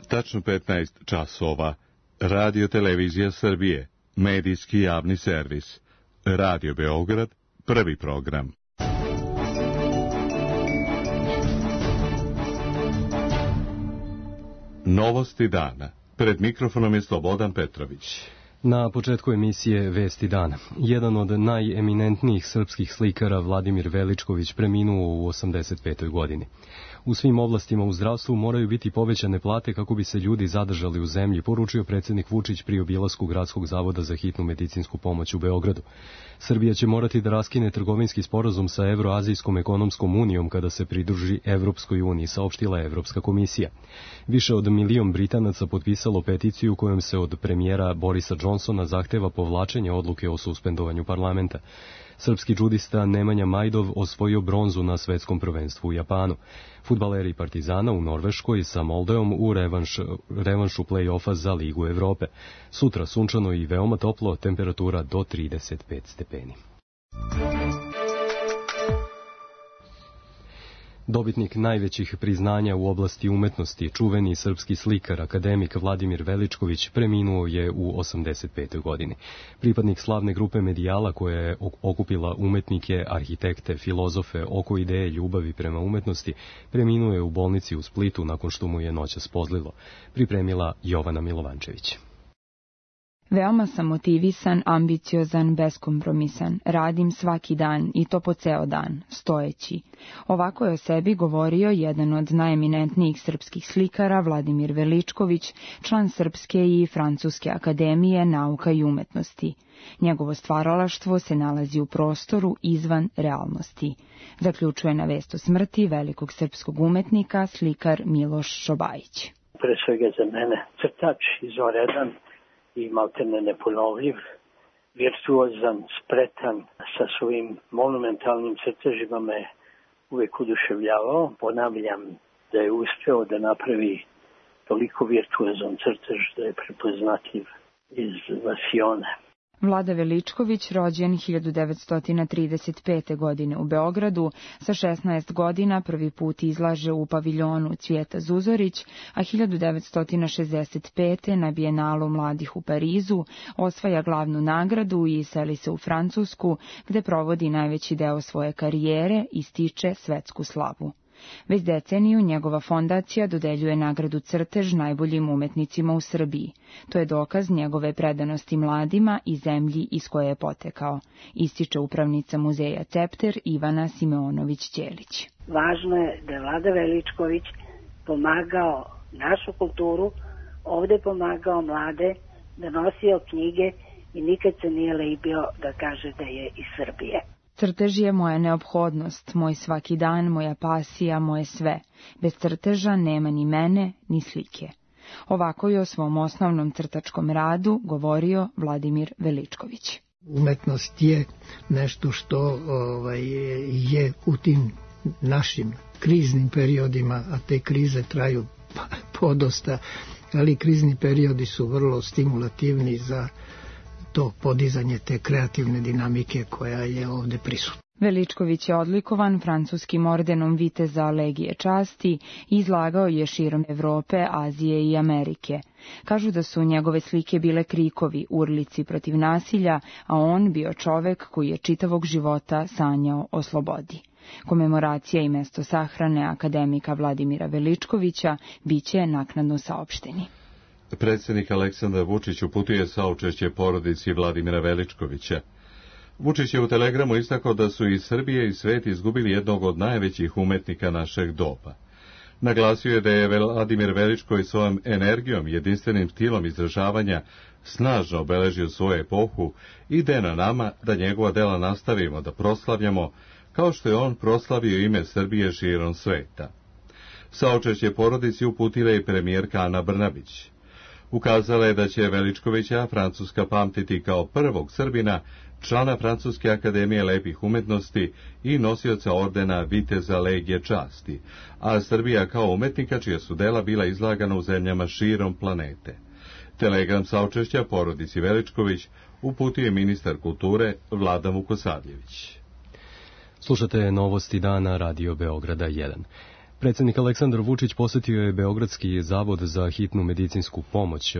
Tačno 15 časova. Radio Televizija Srbije. Medijski javni servis. Radio Beograd. Prvi program. Novosti dana. Pred mikrofonom je Slobodan Petrović. Na početku emisije Vesti dana. Jedan od najeminentnijih srpskih slikara, Vladimir Veličković, preminuo u 85. godini. U svim oblastima u zdravstvu moraju biti povećane plate kako bi se ljudi zadržali u zemlji, poručio predsjednik Vučić pri obilasku Gradskog zavoda za hitnu medicinsku pomoć u Beogradu. Srbija će morati da raskine trgovinski sporazum sa Evroazijskom ekonomskom unijom kada se pridruži Evropskoj uniji, saopštila Evropska komisija. Više od 1 milion Britanaca potpisalo peticiju kojom se od premijera Borisa Johnsona zahteva povlačenje odluke o suspendovanju parlamenta. Srpski džudista Nemanja Majdov osvojio bronzu na svetskom prvenstvu u Japanu. Fudbaleri Partizana u Norveškoj sa Moldeom u revanšu play-offa za Ligu Evrope. Sutra sunčano i veoma toplo, temperatura do 35 stepeni. Dobitnik najvećih priznanja u oblasti umetnosti, čuveni srpski slikar, akademik Vladimir Veličković, preminuo je u 85. godini. Pripadnik slavne grupe Medijala koja je okupila umetnike, arhitekte, filozofe oko ideje ljubavi prema umetnosti, preminuo je u bolnici u Splitu nakon što mu je noćas pozlilo. Pripremila Jovana Milovančević. Veoma sam motivisan, ambiciozan, beskompromisan. Radim svaki dan i to po ceo dan, stojeći. Ovako je o sebi govorio jedan od najeminentnijih srpskih slikara, Vladimir Veličković, član Srpske i Francuske akademije nauka i umetnosti. Njegovo stvaralaštvo se nalazi u prostoru izvan realnosti. Zaključuje na vest o smrti velikog srpskog umetnika slikar Miloš Šobajić. Pre svega za mene crtač izvanredan i maltene neponovljiv, virtuozan, spretan, sa svojim monumentalnim crtežima me uvijek oduševljavao. Ponavljam da je uspeo da napravi toliko virtuozan crtež da je prepoznatljiv iz Vasione. Vlada Veličković, rođen 1935. godine u Beogradu, sa 16 godina prvi put izlaže u paviljonu Cvijeta Zuzorić, a 1965. na Bijenalu mladih u Parizu osvaja glavnu nagradu i seli se u Francusku, gde provodi najveći deo svoje karijere i stiče svetsku slavu. Već deceniju njegova fondacija dodeljuje nagradu Crtež najboljim umetnicima u Srbiji. To je dokaz njegove predanosti mladima i zemlji iz koje je potekao, ističe upravnica muzeja Cepter Ivana Simeonović-Ćelić. Važno je da je Vlada Veličković pomagao našu kulturu, ovde pomagao mlade, da nosio knjige i nikad se nije libio da kaže da je iz Srbije. Crtež je moja neophodnost, moj svaki dan, moja pasija, moje sve. Bez crteža nema ni mene, ni slike. Ovako je o svom osnovnom crtačkom radu govorio Vladimir Veličković. Umetnost je nešto što je u tim našim kriznim periodima, a te krize traju podosta, ali krizni periodi su vrlo stimulativni za to podizanje te kreativne dinamike koja je ovde prisutna. Veličković je odlikovan francuskim ordenom Viteza Legije časti i izlagao je širom Evrope, Azije i Amerike. Kažu da su njegove slike bile krikovi, urlici protiv nasilja, a on bio čovek koji je čitavog života sanjao o slobodi. Komemoracija i mesto sahrane akademika Vladimira Veličkovića biće naknadno saopšteni. Predsjednik Aleksandar Vučić uputuje saučešće porodici Vladimira Veličkovića. Vučić je u telegramu istakao da su i Srbije i svet izgubili jednog od najvećih umetnika našeg doba. Naglasio je da je Vladimir Veličković svojom energijom, jedinstvenim stilom izražavanja snažno obeležio svoju epohu i da je na nama da njegova dela nastavimo da proslavljamo, kao što je on proslavio ime Srbije širom sveta. Saučešće porodici uputila i premijerka Ana Brnabić. Ukazala je da će Veličkovića Francuska pamtiti kao prvog Srbina, člana Francuske akademije lepih umetnosti i nosioca ordena Viteza Legije časti, a Srbija kao umetnika čija su dela bila izlagana u zemljama širom planete. Telegram saučešća porodici Veličković uputio je ministar kulture Vlada Vukosavljević. Slušate novosti dana Radio Beograda 1. Predsjednik Aleksandar Vučić posjetio je Beogradski zavod za hitnu medicinsku pomoć,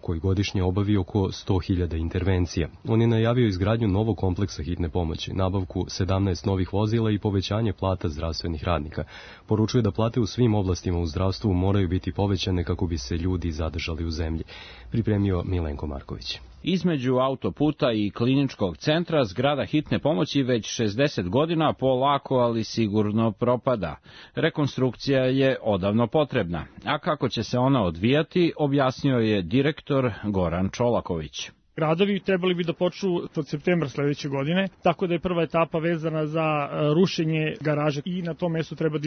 koji godišnje obavi oko 100.000 intervencija. On je najavio izgradnju novog kompleksa hitne pomoći, nabavku 17 novih vozila i povećanje plata zdravstvenih radnika. Poručuje da plate u svim oblastima u zdravstvu moraju biti povećane kako bi se ljudi zadržali u zemlji. Pripremio Milenko Marković. Između autoputa i kliničkog centra zgrada hitne pomoći već 60 godina polako, ali sigurno propada. Rekonstrukcija je odavno potrebna, a kako će se ona odvijati, objasnio je direktor Goran Čolaković. Radovi trebali bi da počnu od septembra sledeće godine, tako da je prva etapa vezana za rušenje garaže i na tom mestu treba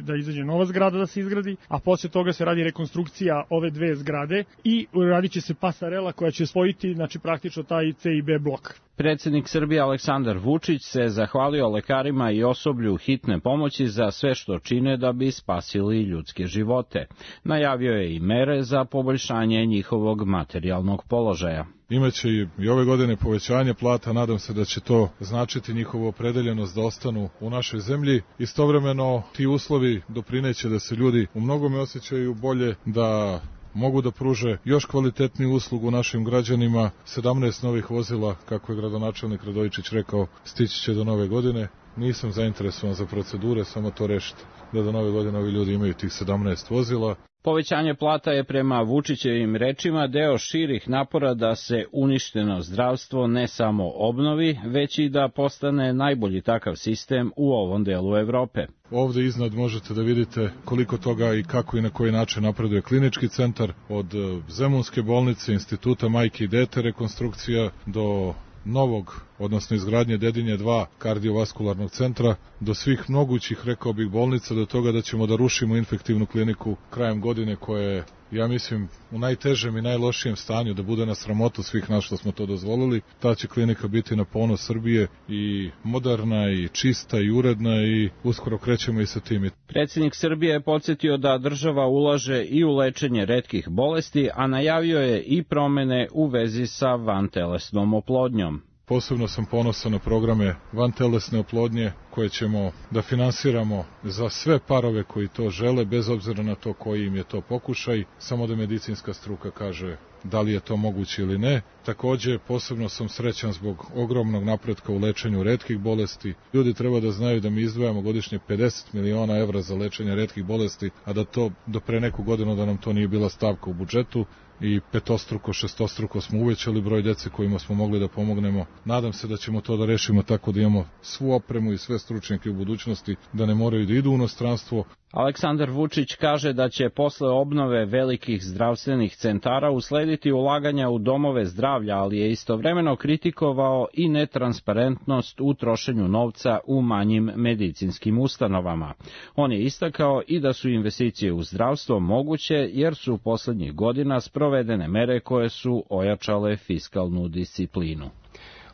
da izađe nova zgrada da se izgradi, a posle toga se radi rekonstrukcija ove dve zgrade i radit će se pasarela koja će spojiti, znači praktično taj C i B blok. Predsjednik Srbije Aleksandar Vučić se zahvalio lekarima i osoblju hitne pomoći za sve što čine da bi spasili ljudske živote. Najavio je i mere za poboljšanje njihovog materijalnog položaja. Imaće i ove godine povećanje plata, nadam se da će to značiti njihovu opredeljenost da ostanu u našoj zemlji. Istovremeno ti uslovi doprineće da se ljudi u mnogome osjećaju bolje, da mogu da pruže još kvalitetniju uslugu našim građanima. 17 novih vozila, kako je gradonačelnik Radojičić rekao, stići će do nove godine. Nisam zainteresovan za procedure, samo to rešite, da do nove godine ovi ljudi imaju tih 17 vozila. Povećanje plata je prema Vučićevim rečima deo širih napora da se uništeno zdravstvo ne samo obnovi, već i da postane najbolji takav sistem u ovom delu Evrope. Ovde iznad možete da vidite koliko toga i kako i na koji način napreduje klinički centar, od Zemunske bolnice, instituta majke i dete, rekonstrukcija, do novog, odnosno izgradnje Dedinje 2 kardiovaskularnog centra, do svih mogućih, rekao bih, bolnica, do toga da ćemo da rušimo infektivnu kliniku krajem godine koja je, ja mislim, u najtežem i najlošijem stanju, da bude na sramotu svih nas što smo to dozvolili. Ta će klinika biti na ponos Srbije i moderna i čista i uredna i uskoro krećemo i sa tim. Predsjednik Srbije je podsjetio da država ulaže i u lečenje retkih bolesti, a najavio je i promene u vezi sa vantelesnom oplodnjom. Posebno sam ponosan na programe vantelesne oplodnje koje ćemo da finansiramo za sve parove koji to žele, bez obzira na to koji im je to pokušaj, samo da medicinska struka kaže da li je to moguće ili ne. Takođe, posebno sam srećan zbog ogromnog napretka u lečenju retkih bolesti. Ljudi treba da znaju da mi izdvajamo godišnje 50 miliona evra za lečenje retkih bolesti, a da to do pre neku godinu da nam to nije bila stavka u budžetu i petostruko, šestostruko smo uvećali broj dece kojima smo mogli da pomognemo. Nadam se da ćemo to da rešimo tako da imamo svu opremu i sve stručnjake u budućnosti, da ne moraju da idu u inostranstvo. Aleksandar Vučić kaže da će posle obnove velikih zdravstvenih centara uslediti ulaganja u domove zdravlja, ali je istovremeno kritikovao i netransparentnost u trošenju novca u manjim medicinskim ustanovama. On je istakao i da su investicije u zdravstvo moguće jer su poslednjih godina sprovedene mere koje su ojačale fiskalnu disciplinu.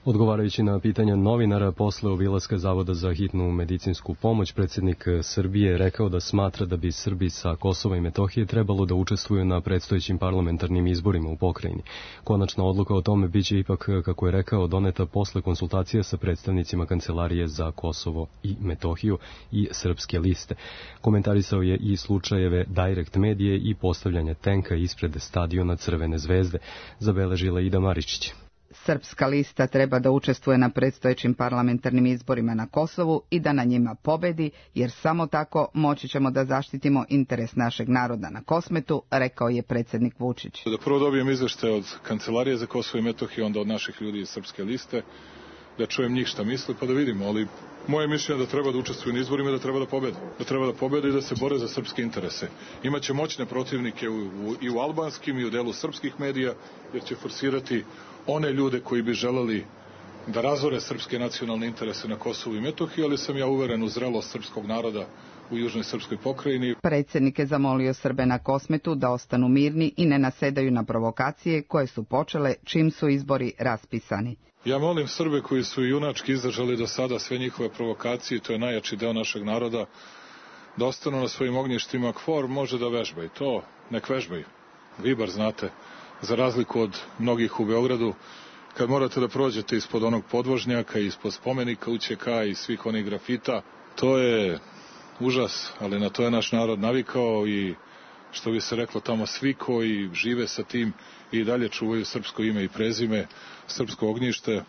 Odgovarajući na pitanja novinara posle obilaska Zavoda za hitnu medicinsku pomoć, predsjednik Srbije rekao da smatra da bi Srbi sa Kosova i Metohije trebalo da učestvuju na predstojećim parlamentarnim izborima u pokrajini. Konačna odluka o tome biće ipak, kako je rekao, doneta posle konsultacija sa predstavnicima Kancelarije za Kosovo i Metohiju i Srpske liste. Komentarisao je i slučajeve Direct Medije i postavljanje tenka ispred stadiona Crvene zvezde, zabeležila Ida Maričić. Srpska lista treba da učestvuje na predstojećim parlamentarnim izborima na Kosovu i da na njima pobedi, jer samo tako moći ćemo da zaštitimo interes našeg naroda na Kosmetu, rekao je predsjednik Vučić. Da prvo dobijem izveštaj od Kancelarije za Kosovo i Metohiju, onda od naših ljudi iz Srpske liste, da čujem njih šta misle, pa da vidimo, ali moje mišljenje je da treba da učestvuju na izborima i da treba da pobede. Da treba da pobede i da se bore za srpske interese. Imaće moćne protivnike i u albanskim i u delu srpskih medija, jer će forsirati one ljude koji bi želeli da razore srpske nacionalne interese na Kosovu i Metohiji, ali sam ja uveren u zrelost srpskog naroda u južnoj srpskoj pokrajini. Predsjednik je zamolio Srbe na Kosmetu da ostanu mirni i ne nasedaju na provokacije koje su počele čim su izbori raspisani. Ja molim Srbe koji su junački izdržali do sada sve njihove provokacije, to je najjači deo našeg naroda, da ostanu na svojim ognjištima. KFOR može da vežba i to, nek vežbaju. Vi bar znate, za razliku od mnogih u Beogradu, kad morate da prođete ispod onog podvožnjaka, ispod spomenika UČK i svih onih grafita, to je užas, ali na to je naš narod navikao i što bi se reklo tamo svi koji žive sa tim i dalje čuvaju srpsko ime i prezime, srpsko ognjište.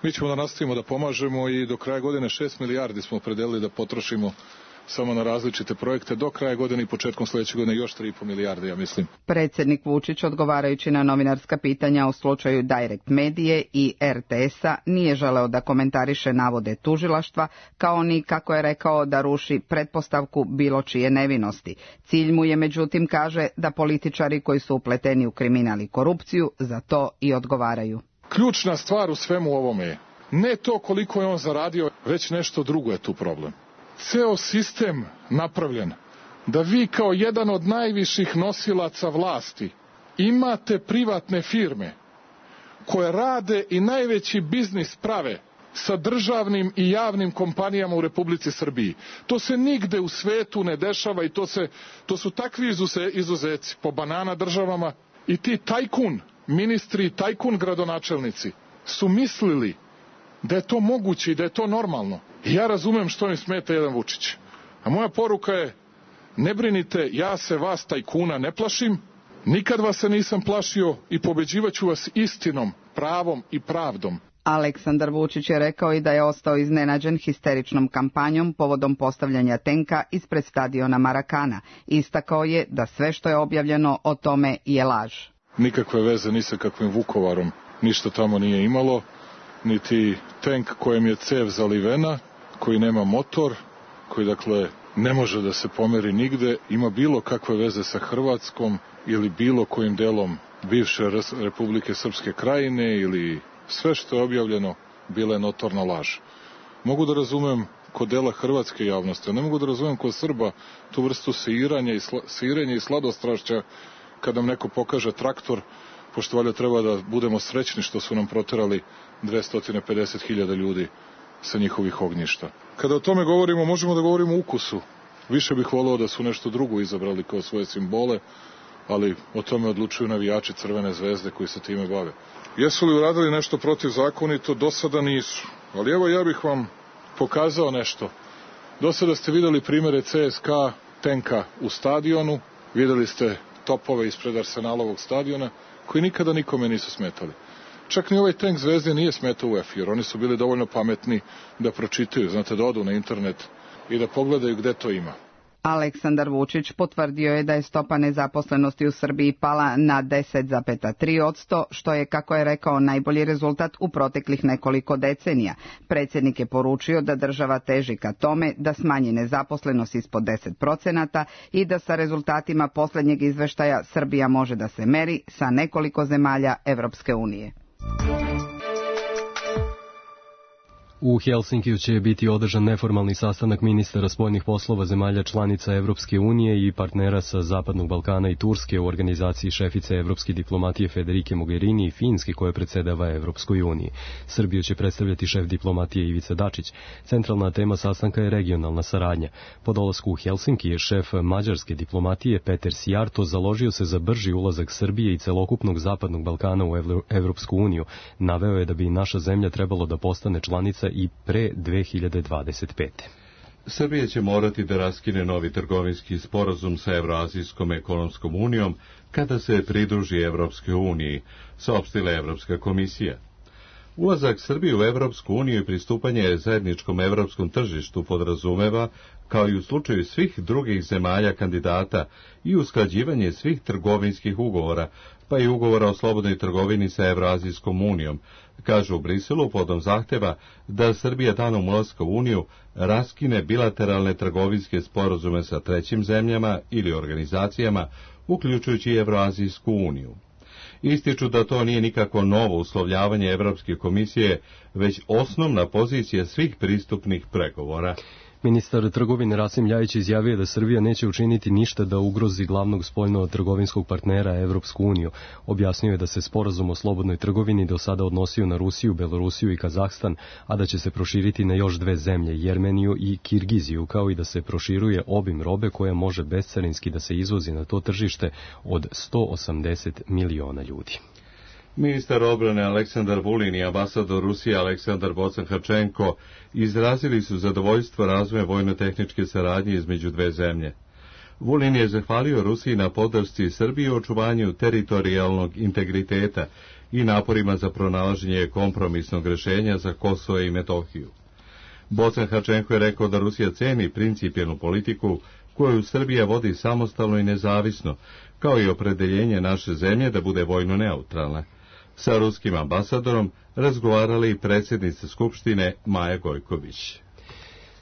Mi ćemo da nastavimo da pomažemo i do kraja godine 6 milijardi smo opredelili da potrošimo samo na različite projekte. Do kraja godine i početkom sljedeće godine još 3,5 milijarde, ja mislim. Predsjednik Vučić, odgovarajući na novinarska pitanja o slučaju Direct Medije i RTS-a, nije želeo da komentariše navode tužilaštva, kao ni, kako je rekao, da ruši pretpostavku bilo čije nevinosti. Cilj mu je, međutim, kaže, da političari koji su upleteni u kriminal i korupciju za to i odgovaraju. Ključna stvar u svemu ovome je ne to koliko je on zaradio, već nešto drugo je tu problem. Ceo sistem napravljen da vi kao jedan od najviših nosilaca vlasti imate privatne firme koje rade i najveći biznis prave sa državnim i javnim kompanijama u Republici Srbiji. To se nigde u svetu ne dešava i to su takvi izuzeci po banana državama i ti tajkun ministri i tajkun gradonačelnici su mislili da je to moguće i da je to normalno. I ja razumem što im smeta jedan Vučić. A moja poruka je, ne brinite, ja se vas tajkuna ne plašim, nikad vas se nisam plašio i pobeđivaću vas istinom, pravom i pravdom. Aleksandar Vučić je rekao i da je ostao iznenađen histeričnom kampanjom povodom postavljanja tenka ispred stadiona Marakana. Istakao je da sve što je objavljeno o tome je laž. Nikakve veze ni sa kakvim Vukovarom ništa tamo nije imalo, niti tank kojem je cev zalivena, koji nema motor, koji dakle ne može da se pomeri nigde, ima bilo kakve veze sa Hrvatskom ili bilo kojim delom bivše Republike Srpske Krajine ili sve što je objavljeno bila je notorna laž. Mogu da razumem kod dela hrvatske javnosti, a ne mogu da razumem kod Srba tu vrstu sirenja i sladostrašća kad nam neko pokaže traktor, pošto valjda treba da budemo srećni što su nam proterali 250.000 ljudi sa njihovih ognjišta. Kada o tome govorimo, možemo da govorimo o ukusu. Više bih voleo da su nešto drugo izabrali kao svoje simbole, ali o tome odlučuju navijači Crvene zvezde koji se time bave. Jesu li uradili nešto protivzakonito? Do sada nisu. Ali evo ja bih vam pokazao nešto. Do sada ste videli primere CSKA tenka u stadionu, videli ste topove ispred Arsenalovog stadiona, koji nikada nikome nisu smetali. Čak ni ovaj tank Zvezde nije smetao UEFA, jer oni su bili dovoljno pametni da pročitaju, znate, da odu na internet i da pogledaju gde to ima. Aleksandar Vučić potvrdio je da je stopa nezaposlenosti u Srbiji pala na 10,3%, što je, kako je rekao, najbolji rezultat u proteklih nekoliko decenija. Predsjednik je poručio da država teži ka tome da smanji nezaposlenost ispod 10% i da sa rezultatima posljednjeg izveštaja Srbija može da se meri sa nekoliko zemalja Evropske unije. U Helsinkiju će biti održan neformalni sastanak ministara spoljnih poslova zemalja članica Evropske unije i partnera sa Zapadnog Balkana i Turske u organizaciji šefice evropske diplomatije Federike Mogherini i Finske koja predsedava Evropskoj uniji. Srbiju će predstavljati šef diplomatije Ivica Dačić. Centralna tema sastanka je regionalna saradnja. Po dolasku u Helsinki je šef mađarske diplomatije Peter Sijarto založio se za brži ulazak Srbije i celokupnog Zapadnog Balkana u Evropsku uniju. Naveo je da bi naša zemlja trebalo da postane članica i pre 2025. Srbija će morati da raskine novi trgovinski sporazum sa Evroazijskom ekonomskom unijom kada se pridruži Evropskoj uniji, saopštila je Evropska komisija. Ulazak Srbije u Evropsku uniju i pristupanje zajedničkom evropskom tržištu podrazumeva, kao i u slučaju svih drugih zemalja kandidata, i usklađivanje svih trgovinskih ugovora, pa i ugovora o slobodnoj trgovini sa Evroazijskom unijom, kažu u Briselu podom zahteva da Srbija danom ulaska u uniju raskine bilateralne trgovinske sporazume sa trećim zemljama ili organizacijama, uključujući i Evroazijsku uniju. Ističu da to nije nikakvo novo uslovljavanje Evropske komisije, već osnovna pozicija svih pristupnih pregovora. Ministar trgovine Rasim Ljajić izjavio da Srbija neće učiniti ništa da ugrozi glavnog spoljno-trgovinskog partnera Evropsku uniju. Objasnio je da se sporazum o slobodnoj trgovini do sada odnosio na Rusiju, Belorusiju i Kazahstan, a da će se proširiti na još dve zemlje, Jermeniju i Kirgiziju, kao i da se proširuje obim robe koja može bescarinski da se izvozi na to tržište od 180 miliona ljudi. Ministar obrane Aleksandar Vulin i ambasador Rusije Aleksandar Bocan-Hrčenko izrazili su zadovoljstvo razvojem vojno-tehničke saradnje između dve zemlje. Vulin je zahvalio Rusiji na podršci Srbiji u očuvanju teritorijalnog integriteta i naporima za pronalaženje kompromisnog rešenja za Kosovo i Metohiju. Bocan-Hrčenko je rekao da Rusija ceni principijelnu politiku koju Srbija vodi samostalno i nezavisno, kao i opredeljenje naše zemlje da bude vojno neutralna. Sa ruskim ambasadorom razgovarala i predsjednica Skupštine Maja Gojković.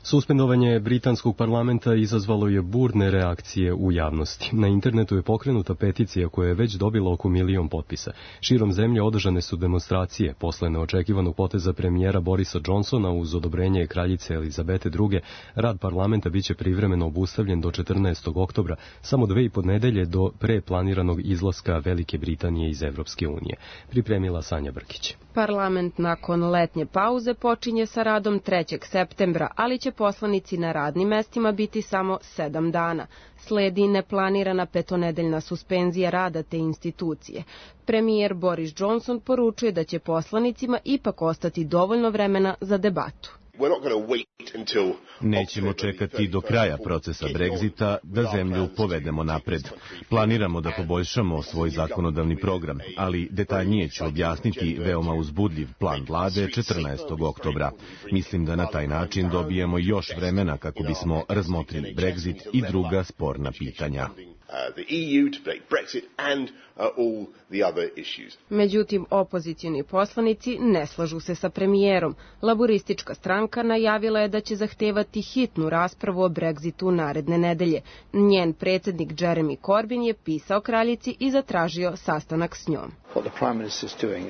Suspendovanje britanskog parlamenta izazvalo je burne reakcije u javnosti. Na internetu je pokrenuta peticija koja je već dobila oko 1 milion potpisa. Širom zemlje održane su demonstracije. Posle neočekivanog poteza premijera Borisa Johnsona uz odobrenje kraljice Elizabete II. Rad parlamenta biće privremeno obustavljen do 14. oktobra, samo 2,5 nedelje do pre planiranog izlaska Velike Britanije iz Evropske unije. Pripremila Sanja Brkić. Parlament nakon letnje pauze počinje sa radom 3. septembra, ali će poslanici na radnim mestima biti samo 7 dana. Sledi neplanirana petonedeljna suspenzija rada te institucije. Premijer Boris Johnson poručuje da će poslanicima ipak ostati dovoljno vremena za debatu. Nećemo čekati do kraja procesa Brexita da zemlju povedemo napred. Planiramo da poboljšamo svoj zakonodavni program, ali detaljnije ću objasniti veoma uzbudljiv plan vlade 14. oktobra. Mislim da na taj način dobijemo još vremena kako bismo razmotrili Brexit i druga sporna pitanja. Međutim, opozicioni poslanici ne slažu se sa premijerom. Laburistička stranka najavila je da će zahtevati hitnu raspravu o Brexitu naredne nedelje. Njen predsjednik Jeremy Corbyn je pisao kraljici i zatražio sastanak s njom.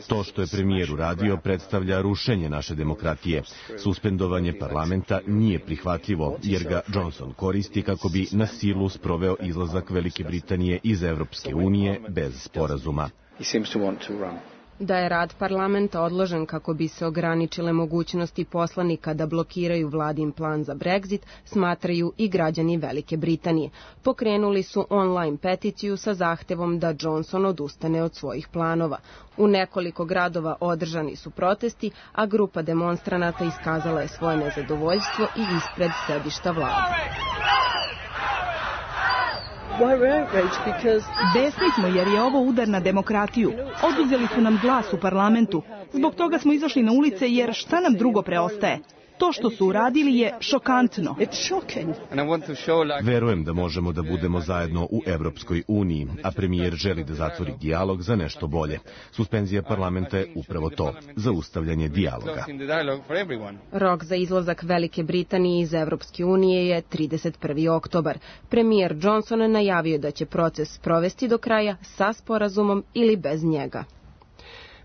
To što je premijer uradio predstavlja rušenje naše demokratije. Suspendovanje parlamenta nije prihvatljivo, jer ga Johnson koristi kako bi na silu sproveo izlazak Velike Britanije iz Evropske unije bez sporazuma. Da je rad parlamenta odložen kako bi se ograničile mogućnosti poslanika da blokiraju vladin plan za Brexit, smatraju i građani Velike Britanije. Pokrenuli su online peticiju sa zahtevom da Johnson odustane od svojih planova. U nekoliko gradova održani su protesti, a grupa demonstranata iskazala je svoje nezadovoljstvo i ispred sedišta vlade. Besni smo jer je ovo udar na demokratiju. Oduzeli su nam glas u parlamentu. Zbog toga smo izašli na ulice jer šta nam drugo preostaje? To što su uradili je šokantno. Verujem da možemo da budemo zajedno u Evropskoj uniji, a premijer želi da zatvori dijalog za nešto bolje. Suspenzija parlamenta je upravo to, zaustavljanje dijaloga. Rok za izlazak Velike Britanije iz Evropske unije je 31. oktobar. Premijer Johnson najavio da će proces sprovesti do kraja sa sporazumom ili bez njega.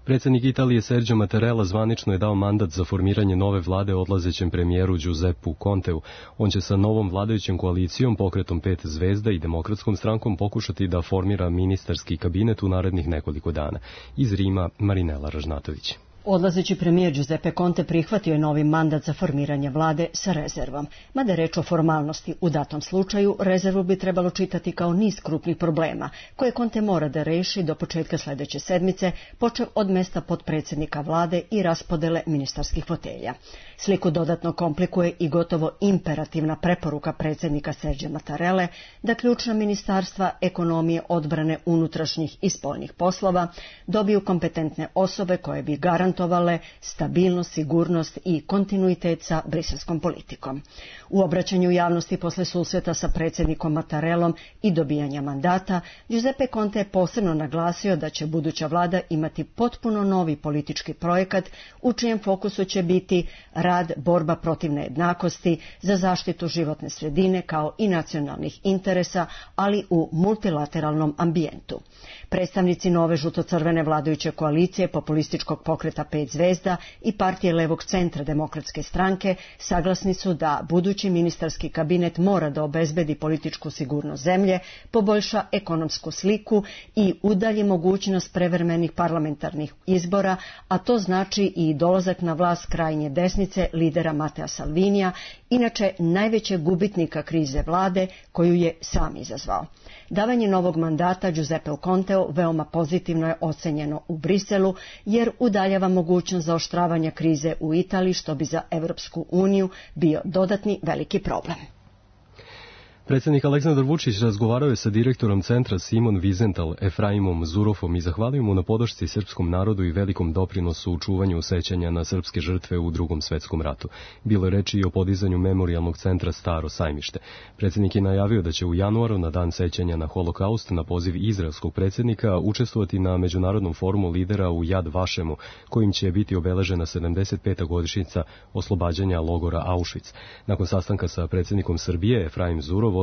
Predsjednik Italije Sergio Mattarella zvanično je dao mandat za formiranje nove vlade odlazećem premijeru Giuseppu Conteu. On će sa novom vladajućom koalicijom, pokretom 5 zvezda i demokratskom strankom pokušati da formira ministarski kabinet u narednih nekoliko dana. Iz Rima, Marinela Ražnatović. Odlazeći premijer Giuseppe Conte prihvatio je novi mandat za formiranje vlade sa rezervom. Mada je reč o formalnosti, u datom slučaju rezervu bi trebalo čitati kao niz krupnih problema, koje Conte mora da reši do početka sljedeće sedmice, počev od mesta potpredsjednika vlade i raspodele ministarskih fotelja. Sliku dodatno komplikuje i gotovo imperativna preporuka predsjednika Sergio Mattarelle da ključna ministarstva ekonomije, odbrane, unutrašnjih i spoljnih poslova dobiju kompetentne osobe koje bi garantovale stabilnost, sigurnost i kontinuitet sa briselskom politikom. U obraćanju javnosti posle susreta sa predsjednikom Mattarellom i dobijanja mandata, Giuseppe Conte je posebno naglasio da će buduća vlada imati potpuno novi politički projekat u čijem fokusu će biti rad, borba protiv nejednakosti, za zaštitu životne sredine kao i nacionalnih interesa, ali u multilateralnom ambijentu. Predstavnici nove žuto-crvene vladajuće koalicije populističkog pokreta pokreta 5 zvezda i partije levog centra Demokratske stranke saglasni su da budući ministarski kabinet mora da obezbedi političku sigurnost zemlje, poboljša ekonomsku sliku i udalji mogućnost prevremenih parlamentarnih izbora, a to znači i dolazak na vlast krajnje desnice lidera Matea Salvinija, inače najvećeg gubitnika krize vlade koju je sam izazvao. Davanje novog mandata Giuseppeu Conteu veoma pozitivno je ocenjeno u Briselu, jer udaljava mogućnost zaoštravanja krize u Italiji, što bi za Evropsku uniju bio dodatni veliki problem. Predsjednik Aleksandar Vučić razgovarao je sa direktorom centra Simon Wiesenthal Efraimom Zurofom i zahvalio mu na podršci srpskom narodu i velikom doprinosu u čuvanju sećanja na srpske žrtve u Drugom svetskom ratu. Bilo je reči i o podizanju memorijalnog centra Staro Sajmište. Predsjednik je najavio da će u januaru na dan sećanja na holokaust na poziv izraelskog predsjednika učestvovati na međunarodnom forumu lidera u Yad Vašemu, kojim će biti obeležena 75. godišnjica oslobađanja logora Auschwitz. Nakon sastanka sa predsjednikom Srbije Efraim Zurov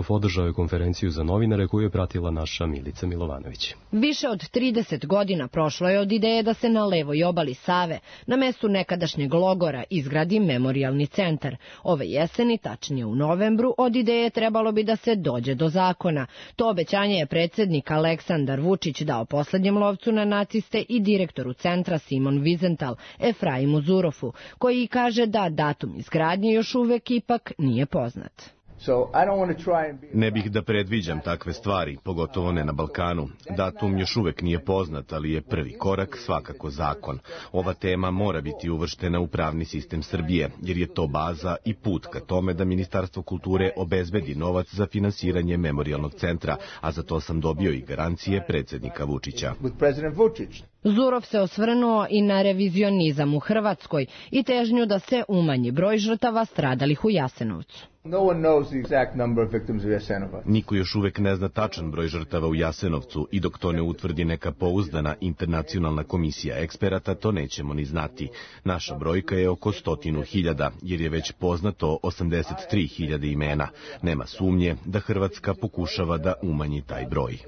održao je konferenciju za novinare koju je pratila naša Milica Milovanović. Više od 30 godina prošlo je od ideje da se na levoj obali Save, na mestu nekadašnjeg logora, izgradi memorijalni centar. Ove jeseni, tačnije u novembru, od ideje trebalo bi da se dođe do zakona. To obećanje je predsjednik Aleksandar Vučić dao poslednjem lovcu na naciste i direktoru centra Simon Wiesenthal Efraimu Zurofu, koji kaže da datum izgradnje još uvek ipak nije poznat. Ne bih da predviđam takve stvari, pogotovo ne na Balkanu. Datum još uvek nije poznat, ali je prvi korak svakako zakon. Ova tema mora biti uvrštena u pravni sistem Srbije, jer je to baza i put ka tome da Ministarstvo kulture obezbedi novac za finansiranje memorijalnog centra, a za to sam dobio i garancije predsjednika Vučića. Zurov se osvrnuo i na revizionizam u Hrvatskoj i težnju da se umanji broj žrtava stradalih u Jasenovcu. Niko još uvek ne zna tačan broj žrtava u Jasenovcu i dok to ne utvrdi neka pouzdana internacionalna komisija eksperata, to nećemo ni znati. Naša brojka je oko 100.000, jer je već poznato 83.000 imena. Nema sumnje da Hrvatska pokušava da umanji taj broj.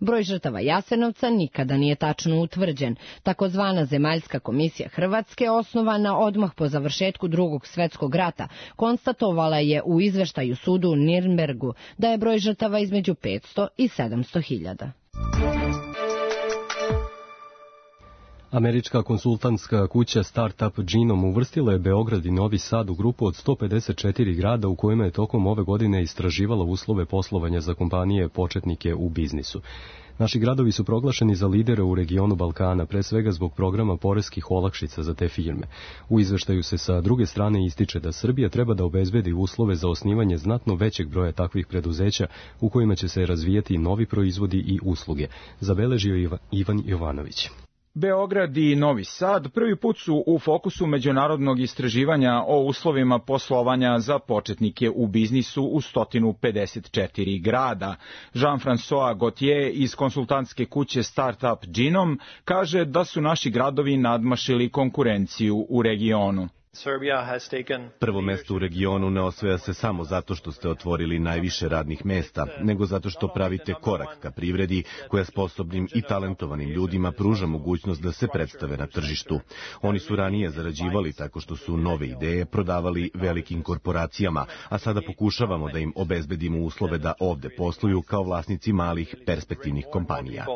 Broj žrtava Jasenovca nikada nije tačno utvrđen. Takozvana Zemaljska komisija Hrvatske, osnovana odmah po završetku Drugog svetskog rata, konstatovala je u izveštaju sudu u Nirnbergu da je broj žrtava između 500 i 700.000. Američka konsultantska kuća Startup Genome uvrstila je Beograd i Novi Sad u grupu od 154 grada u kojima je tokom ove godine istraživala uslove poslovanja za kompanije početnike u biznisu. Naši gradovi su proglašeni za lidere u regionu Balkana, pre svega zbog programa poreskih olakšica za te firme. U izveštaju se sa druge strane ističe da Srbija treba da obezbedi uslove za osnivanje znatno većeg broja takvih preduzeća u kojima će se razvijati novi proizvodi i usluge, zabeležio Ivan Jovanović. Beograd i Novi Sad prvi put su u fokusu međunarodnog istraživanja o uslovima poslovanja za početnike u biznisu u 154 grada. Jean-François Gauthier iz konsultantske kuće Startup Genome kaže da su naši gradovi nadmašili konkurenciju u regionu. Prvo mesto u regionu ne osvaja se samo zato što ste otvorili najviše radnih mesta, nego zato što pravite korak ka privredi koja sposobnim i talentovanim ljudima pruža mogućnost da se predstave na tržištu. Oni su ranije zarađivali tako što su nove ideje prodavali velikim korporacijama, a sada pokušavamo da im obezbedimo uslove da ovde posluju kao vlasnici malih perspektivnih kompanija.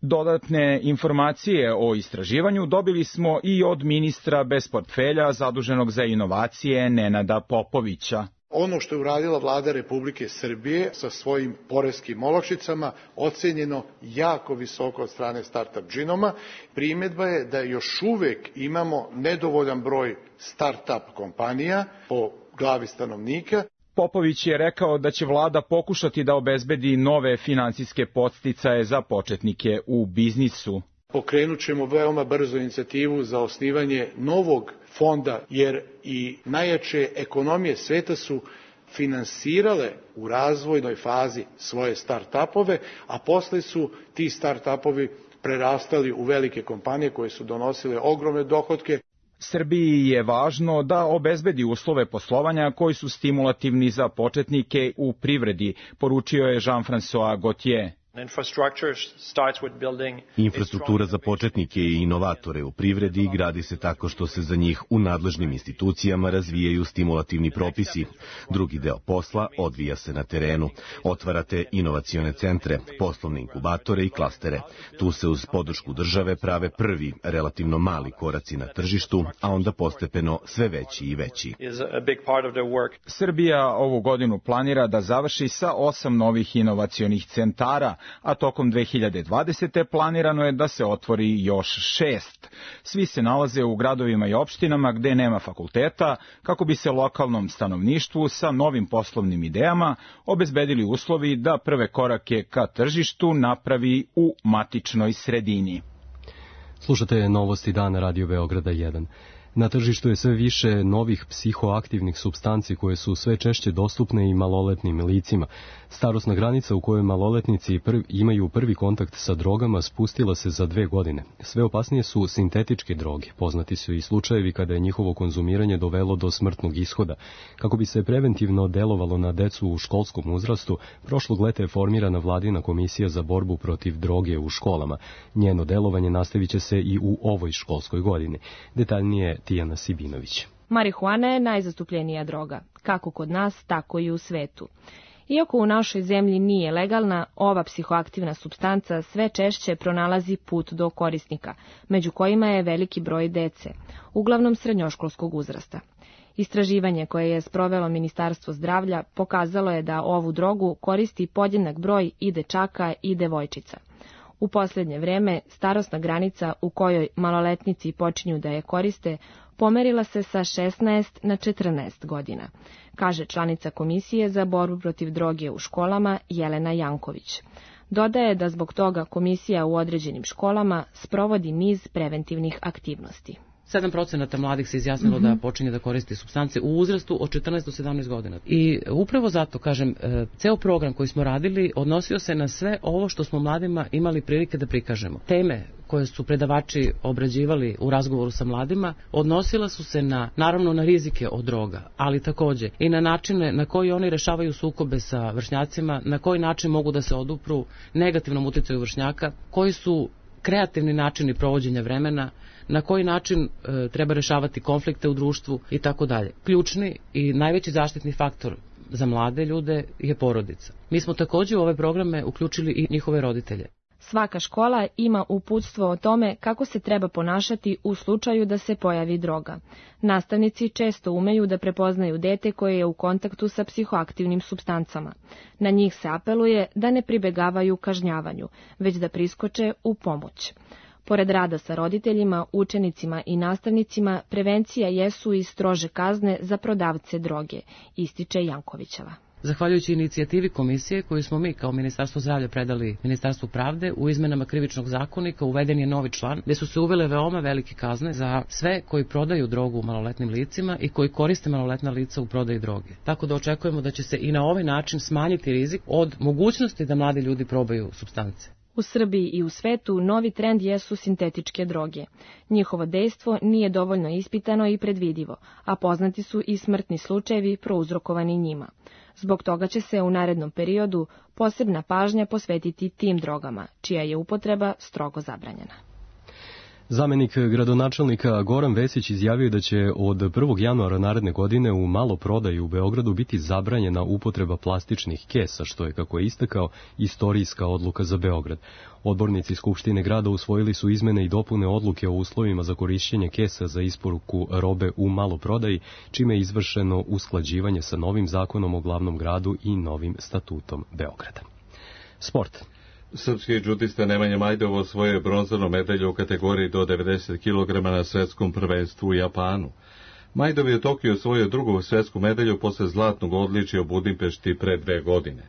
Dodatne informacije o istraživanju dobili smo i od ministra bez portfelja zaduženog za inovacije Nenada Popovića. Ono što je uradila vlada Republike Srbije sa svojim poreskim olakšicama ocenjeno jako visoko od strane Startup Genoma. Primjedba je da još uvek imamo nedovoljan broj startup kompanija po glavi stanovnika. Popović je rekao da će vlada pokušati da obezbedi nove finansijske podsticaje za početnike u biznisu. Pokrenut ćemo veoma brzo inicijativu za osnivanje novog fonda, jer i najjače ekonomije sveta su finansirale u razvojnoj fazi svoje start-upove, a posle su ti start-upovi prerastali u velike kompanije koje su donosile ogromne dohotke. Srbiji je važno da obezbedi uslove poslovanja koji su stimulativni za početnike u privredi, poručio je Jean-François Gauthier. Infrastruktura za početnike i inovatore u privredi gradi se tako što se za njih u nadležnim institucijama razvijaju stimulativni propisi. Drugi deo posla odvija se na terenu. Otvarate inovacione centre, poslovne inkubatore i klastere. Tu se uz podršku države prave prvi, relativno mali koraci na tržištu, a onda postepeno sve veći i veći. Srbija ovu godinu planira da završi sa 8 novih inovacionih centara, a tokom 2020. planirano je da se otvori još 6. Svi se nalaze u gradovima i opštinama gde nema fakulteta, kako bi se lokalnom stanovništvu sa novim poslovnim idejama obezbedili uslovi da prve korake ka tržištu napravi u matičnoj sredini. Slušate novosti dana Radio Beograda 1. Na tržištu je sve više novih psihoaktivnih supstanci koje su sve češće dostupne i maloletnim licima. Starosna granica u kojoj maloletnici imaju prvi kontakt sa drogama spustila se za 2 godine. Sve opasnije su sintetičke droge. Poznati su i slučajevi kada je njihovo konzumiranje dovelo do smrtnog ishoda. Kako bi se preventivno delovalo na decu u školskom uzrastu, prošlog leta je formirana vladina komisija za borbu protiv droge u školama. Njeno delovanje nastavit će se i u ovoj školskoj godini. Detaljnije Tijana Sibinović. Marihuana je najzastupljenija droga, kako kod nas, tako i u svetu. Iako u našoj zemlji nije legalna, ova psihoaktivna supstanca sve češće pronalazi put do korisnika, među kojima je veliki broj dece, uglavnom srednjoškolskog uzrasta. Istraživanje koje je sprovelo Ministarstvo zdravlja pokazalo je da ovu drogu koristi podjednak broj i dečaka i devojčica. U posljednje vreme starosna granica u kojoj maloletnici počinju da je koriste pomerila se sa 16 na 14 godina, kaže članica Komisije za borbu protiv droge u školama Jelena Janković. Dodaje da zbog toga komisija u određenim školama sprovodi niz preventivnih aktivnosti. 7% mladih se izjasnilo da počinje da koristi supstance u uzrastu od 14 do 17 godina. I upravo zato, kažem, ceo program koji smo radili odnosio se na sve ovo što smo mladima imali prilike da prikažemo. Teme koje su predavači obrađivali u razgovoru sa mladima odnosila su se naravno na rizike od droga, ali takođe i na načine na koji oni rešavaju sukobe sa vršnjacima, na koji način mogu da se odupru negativnom uticaju vršnjaka, koji su kreativni načini provođenja vremena, na koji način treba rešavati konflikte u društvu i tako dalje. Ključni i najveći zaštitni faktor za mlade ljude je porodica. Mi smo takođe u ove programe uključili i njihove roditelje. Svaka škola ima uputstvo o tome kako se treba ponašati u slučaju da se pojavi droga. Nastavnici često umeju da prepoznaju dete koje je u kontaktu sa psihoaktivnim supstancama. Na njih se apeluje da ne pribegavaju kažnjavanju, već da priskoče u pomoć. Pored rada sa roditeljima, učenicima i nastavnicima, prevencija jesu i strože kazne za prodavce droge, ističe Jankovićeva. Zahvaljujući inicijativi komisije koju smo mi kao Ministarstvo zdravlja predali Ministarstvu pravde, u izmenama krivičnog zakonika uveden je novi član gde su se uvele veoma velike kazne za sve koji prodaju drogu maloletnim licima i koji koriste maloletna lica u prodaji droge. Tako da očekujemo da će se i na ovaj način smanjiti rizik od mogućnosti da mladi ljudi probaju supstance. U Srbiji i u svetu novi trend jesu sintetičke droge. Njihovo dejstvo nije dovoljno ispitano i predvidivo, a poznati su i smrtni slučajevi prouzrokovani njima. Zbog toga će se u narednom periodu posebna pažnja posvetiti tim drogama, čija je upotreba strogo zabranjena. Zamenik gradonačelnika Goran Vesić izjavio da će od 1. januara naredne godine u maloprodaji u Beogradu biti zabranjena upotreba plastičnih kesa, što je, kako je istakao, istorijska odluka za Beograd. Odbornici Skupštine grada usvojili su izmene i dopune odluke o uslovima za korišćenje kesa za isporuku robe u maloprodaji, čime je izvršeno usklađivanje sa novim zakonom o glavnom gradu i novim statutom Beograda. Sport. Srpski džudista Nemanja Majdovo osvojio bronzanu medalju u kategoriji do 90 kg na svetskom prvenstvu u Japanu. Majdov je u Tokiju osvojio drugu svetsku medalju posle zlatnog odličja u Budimpešti pre 2 godine.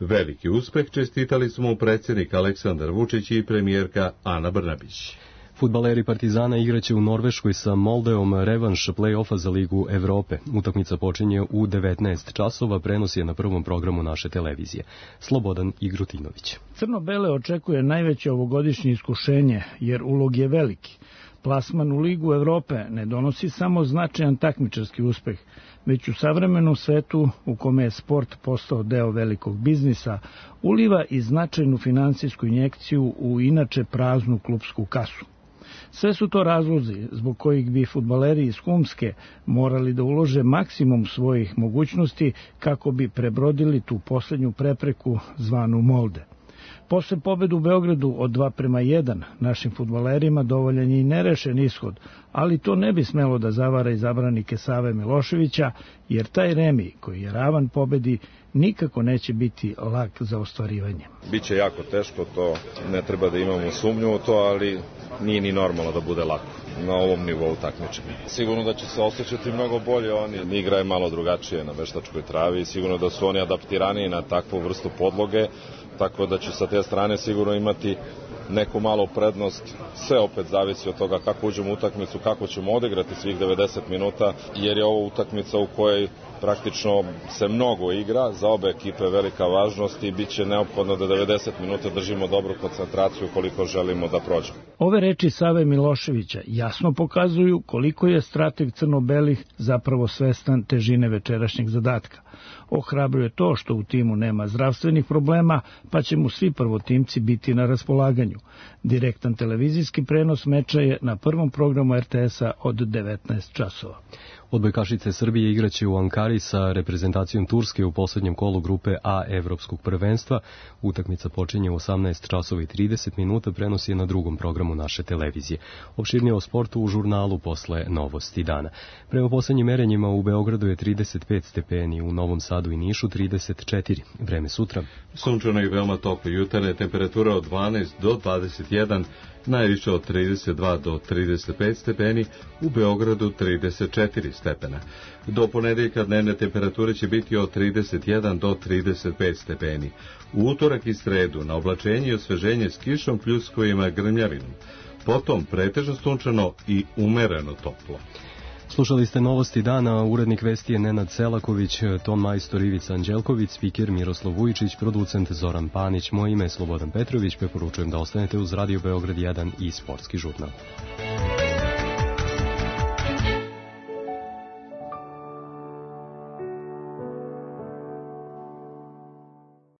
Veliki uspeh čestitali su mu predsjednik Aleksandar Vučić i premijerka Ana Brnabić. Fudbaleri Partizana igraće u Norveškoj sa Moldeom revanš play-offa za Ligu Evrope. Utakmica počinje u 19 časova, prenos je na prvom programu naše televizije. Slobodan Igrutinović. Crno-bele očekuje najveće ovogodišnje iskušenje, jer ulog je veliki. Plasman u Ligu Evrope ne donosi samo značajan takmičarski uspeh, već u savremenom svetu u kome je sport postao deo velikog biznisa, uliva i značajnu finansijsku injekciju u inače praznu klupsku kasu. Sve su to razlozi zbog kojih bi fudbaleri iz Humske morali da ulože maksimum svojih mogućnosti kako bi prebrodili tu poslednju prepreku zvanu Molde. Posle pobede u Beogradu od 2:1 našim fudbalerima dovoljan je i nerešen ishod, ali to ne bi smelo da zavara izabranike Save Miloševića, jer taj remi koji je ravan pobedi nikako neće biti lak za ostvarivanje. Biće jako teško, to ne treba da imamo sumnju u to, ali nije ni normalno da bude lako na ovom nivou takmičenja. Sigurno da će se osjećati mnogo bolje, oni igra je malo drugačije na veštačkoj travi, sigurno da su oni adaptiraniji na takvu vrstu podloge, tako da će sa te strane sigurno imati neku malu prednost. Sve opet zavisi od toga kako uđemo u utakmicu, kako ćemo odigrati svih 90 minuta, jer je ovo utakmica u kojoj praktično se mnogo igra, za obe ekipe velika važnost i bit će neophodno da 90 minuta držimo dobru koncentraciju koliko želimo da prođemo. Ove reči Save Miloševića jasno pokazuju koliko je strateg crno-belih zapravo svestan težine večerašnjeg zadatka. Ohrabruje to što u timu nema zdravstvenih problema, pa će mu svi prvotimci biti na raspolaganju. Direktan televizijski prenos meča je na prvom programu RTS-a od 19 časova. Odbojkašice Srbije igraće u Ankari sa reprezentacijom Turske u poslednjem kolu grupe A Evropskog prvenstva. Utakmica počinje u 18 časova i 30 minuta, prenos je na drugom programu naše televizije. Opširnije o sportu u žurnalu posle Novosti dana. Prema poslednjim merenjima u Beogradu je 35 stepeni, u Novom Sadu i Nišu 34. Vreme sutra. Sunčano i veoma toplo jutarnje, temperatura od 12 do 21, najviše od 32 do 35 stepeni, u Beogradu 34 stepena. Do ponedeljka dnevne temperature će biti od 31 do 35 stepeni. U utorak i sredu na oblačenje i osveženje s kišom, pljuskovima, grmljavinom. Potom pretežno sunčano i umereno toplo. Slušali ste Novosti dana, urednik vesti je Nenad Selaković, ton majstor Ivica Anđelković, spiker Miroslav Vujičić, producent Zoran Panić, moje ime je Slobodan Petrović, preporučujem da ostanete uz Radio Beograd 1 i Sportski žurnal.